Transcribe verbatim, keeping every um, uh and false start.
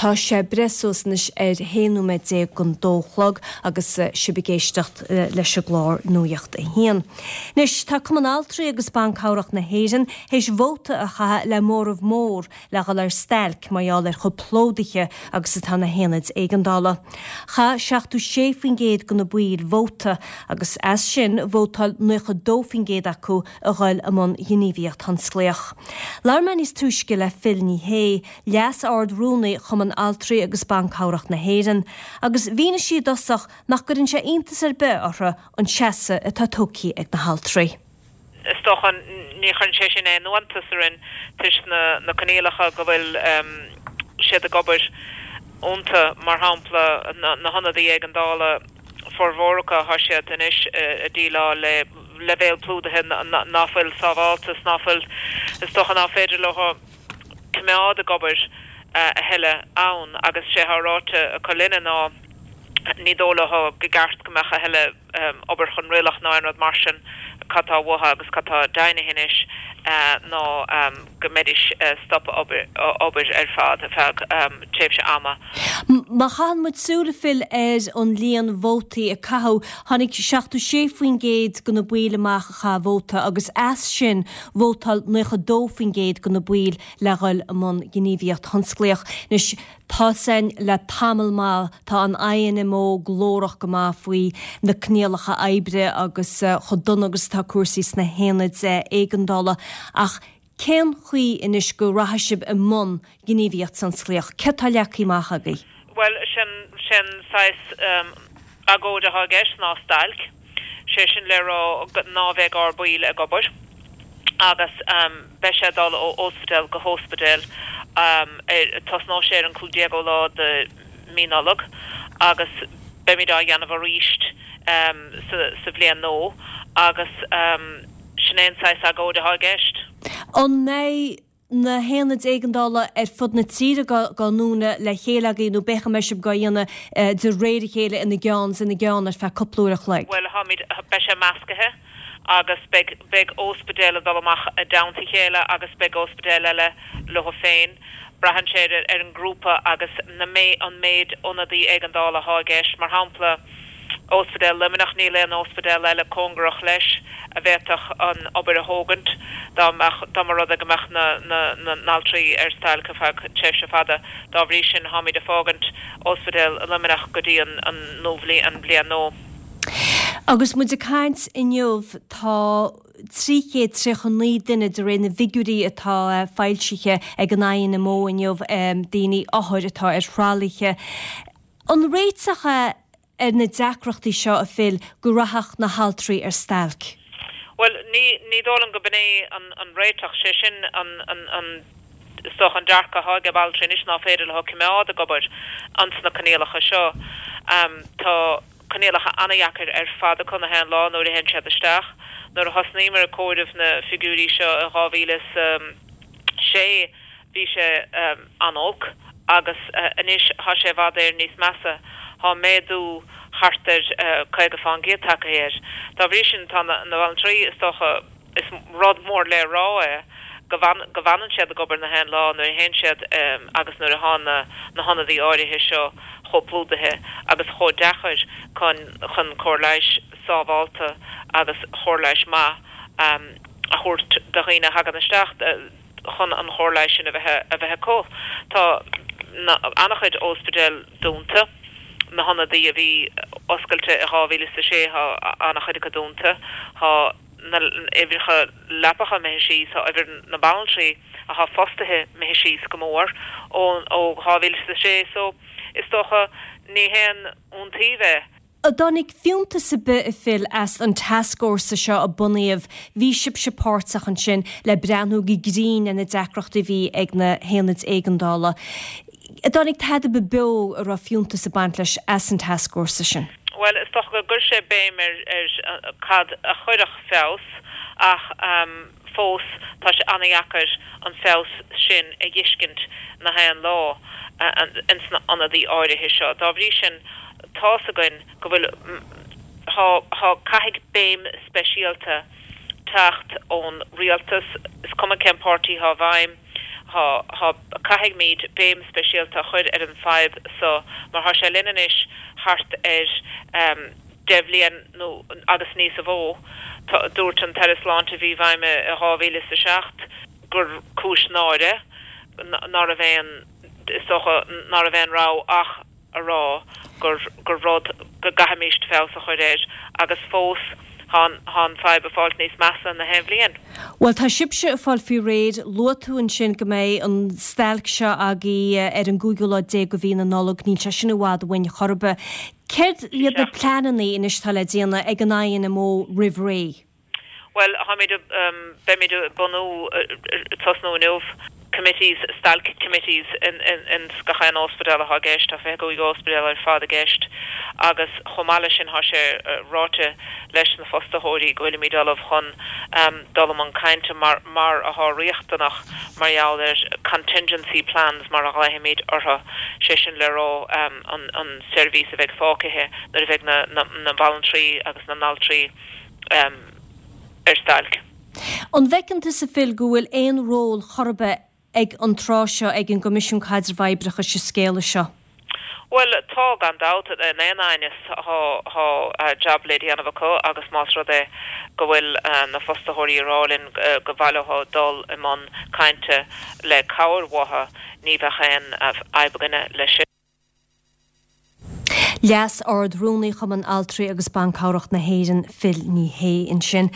Tá sé breis suas anois ar haon nóiméad déag don dó chlog agus sibh ag éisteacht leis an gclár Nuacht a hAon. Anois tá Cumann Altraí agus Ban Cabhrach na hÉireann théis vóta a chaitheamh le móramh mór le dhul ar stailc mar gheall ar chomh plódaithe agus atá na haonaid éigeandála. Chaith seachtó sé faoin gcéad de na baill vóta agus as sin vótáil nócha dó faoin gcéad acu a dhul i mbun gníomhaíocht thionsclaíoch. Labhair mé níos túisce le Phil Ní Sheaghdha, Leas-Ard-Rúnaí Chumann Altraí agus Ban Cabhrach na hÉireann, agus mhínigh sí i dtosach nach gcuireann sé iontas ar bith orthu an seasamh atá tógtha ag na haltraí. Is dócha ní chuireann sé sin aon iontas orainn toisc na na coinníollacha go bhfuil siad ag obair iontu, mar shampla na na hionadaí éigeandála formhór acu tá siad anois ag déileáil le leibhéal plódaithe ná fuil sábháilte is ná fuil is dócha ná féidir leo coimeád ag obair a thuilleadh ann agus sé thá ráite acu linne ná ní dóigh leo go gceart go mbeadh a thuilleadh obair chonraitheach ná aon rud mar sin cad tá uathu agus cad tá deimhnithe anois ná go mbeidís stop obair ar fad ar feadh tréimhse ama. Má chaitheann muid súil a Phil ar an líon vótaí a caitheadh, tháinig seachtó sé faoin gcéad de na baill amach a chaith vóta agus as sin vótáil nócha dó faoin gcéad de na baill le dhul i mbun gníomhaíocht thionsclaíoch. Anois tá sin le tamall maith, tá an INMO glórach go maith faoi na coinníollacha oibre agus chomh dona agus atá cúrsaí sna haonaid éigeandála ach cén chaoi anois go rachaidh sibh i mbun gníomhaíocht thionsclaíoch? Céard tá leagtha amach agaibh? Bhuel, sin sin saghas agóid atá i gceist ná stailc, sé sin le rá ná bheidh ár baill ag obair agus beidh sé ag dul ó ospidéal go hóspidéal ar tosnóidh sé ar an cúig déagú lá de mí Nollag agus beimid á dhéanamh arís sa bhliain nua agus sin é an saghas agóid atá i gceist. An mbeidh na haonaid éigeandála ar fud na tíre á ndúnadh le chéile agaibh nó b'fhéidir go mbeidh sibh á dhéanamh de réir a chéile ina gceann is ina gceann ar feadh cúpla uair a chloig? Bhuel, táimid, beidh sé meascaithe agus beidh, beidh óspidéal ag dul amach i dteannta a chéile agus beidh óspidéal eile leo féin. Braitheann sé ar, ar an ngrúpa agus na mé, an méid ionadaí éigeandála atá i gceist. Mar shampla, Óspidéal Luimneach, níl aon óspidéal eile cóngarach leis a bhféadfadh an obair a thógaint dá mbeadh, dá mba rud é go mbeadh na, na, na n-altraí ar stailc ar feadh tréimhse fada. Dá bhrí sin, táimid ag fágaint Óspidéal Luimneach go dtí an, an nuabhliain, an bhliain nua. Agus muid ag caint inniu, tá trí chéad tríocha naoi duine, de réir na bhfigiúirí atá foilsithe ag an INMO inniu, daoine, othair atá ar thralaithe. An réiteach é ar na deacrachtaí seo, a Phil, go rachadh na haltraí ar stailc? Bhuel, ní, ní dóigh liom go b'in é an, an réiteach. Sé sin an, an, an, is dócha an dearcadh atá ag altraí anois ná féidir leo coimeád ag obair ins na coinníollacha seo. Tá coinníollacha an-dheacair ar fad acu na haon lá nuair a théann siad isteach. Nuair a thosnaíomar ag comhaireamh na figiúirí seo i dhá mhíle is a sé, Bhí sé an-olc agus anois tá sé i bhfad Éireann níos measa. Tá méadú thart ar caoga fán gcéad tagtha air. Dá bhrí sin tá na banaltraí, is dócha, is rud mór le rá é go go bhfanann siad ag obair na haon lá nuair a théann siad agus nuair atá na na hionadaí áirithe seo chomh plódaithe agus chomh deacair chun chun cóir leighis sábhálta agus chóir leighis maith a thabhairt do dhaoine a thagann isteach. chun an chóir leighis sin a bheith a bheith acu. Tá an-chuid óspidéal dúnta, na hionadaí a bhí oscailte i dhá mhíle is a sé tá an-chuid acu dúnta, tá na uimhreacha leapacha imithe síos, tá uimhir na banaltraí atá fostaithe imithe síos go mór ó ó dhá mhíle is a sé so is dócha ní haon iontaoibh é. An dtáinig fiúntas ar bith, a Phil, as an tascfhórsa seo a bunaíodh? Bhí sibhse páirteach ansin le breathnú go grinn ar na deacrachtaí a bhí ag na haonaid éigeandála. An dtáinig tada ar bith beo a raibh fiúntas ag baint leis as an tascfhórsa sin? Bhuel, is dócha gur chuir sé béim ar ar cad a chuirfeadh feabhas ach fós tá sé an-dheacair an feabhas sin a dh'fheiscint na haon lá ins na ionadaí áirithe seo. Dá bhrí sin, tá's againn go bhfuil, thá, thá, caithfidh béim speisialta teacht ón rialtas, is cuma cén páirtí thá i bhfeidhm, Thá, thá, caithfimid béim speisialta a chur ar an fadhb so mar thá sé linn anois thart ar deich bhliain nó agus níos a mhó. Dúirt an tAire Sláinte a bhí i bhfeidhm i dhá mhíle is a seacht gur cúis náire ná raibh aon, is dócha, ná raibh aon rogha ach a rá gur, gur rud go gcaithfimíst feabhas a chur air agus fós thá an, thá an fadhb ag fáilt níos measa na haon bhliain. Bhuel, tá sibhse ag fáil faoi réir. Luaigh tú ansin go mbeidh an stailc seo agaibh ar an gcúigiú lá déag de mhí na Nollag. Níl sé sin i bhfad uainn chor ar bith. Céard iad na pleananna anois atá le déanamh ag an INMO roimh ré? Bhuel, táimid, beimid ag bunú, tosnú inniu, committees, stailc committees ins gach aon ospidéal atá i gceist, tá fiche cúig ospidéal ar fad i gceist agus chomh maith leis sin tá sé ráite leis na fostaitheoirí go bhfuilimid ullamh chun dul i mbun cainte mar mar atá riachtanach mar gheall ar contingency plans mar a ghlaofaimid orthu, sé sin le rá an an seirbhís a bheidh fágtha nuair a bheidh na na banaltraí agus na n-altraí ar stailc. An bhfeiceann tusa Phil go bhfuil aon ról chor ar bith ag an tráth seo ag an gCoimisiún Caidrimh Oibreachais sa scéala seo? Bhuel, tá, gan dabht, in aon aighneas tá jab le déanamh acu agus más rud é go bhfuil na fostaitheoirí ag rá linn gur mhaith leo dul i mbun cainte le cabhair uathu, ní bheadh aon fhadhb againne leis sin. Leas-Ard-Rúnaí Chumann Altraí agus Ban Cabhrach na hÉireann, Phil Ní Sheaghdha ansin.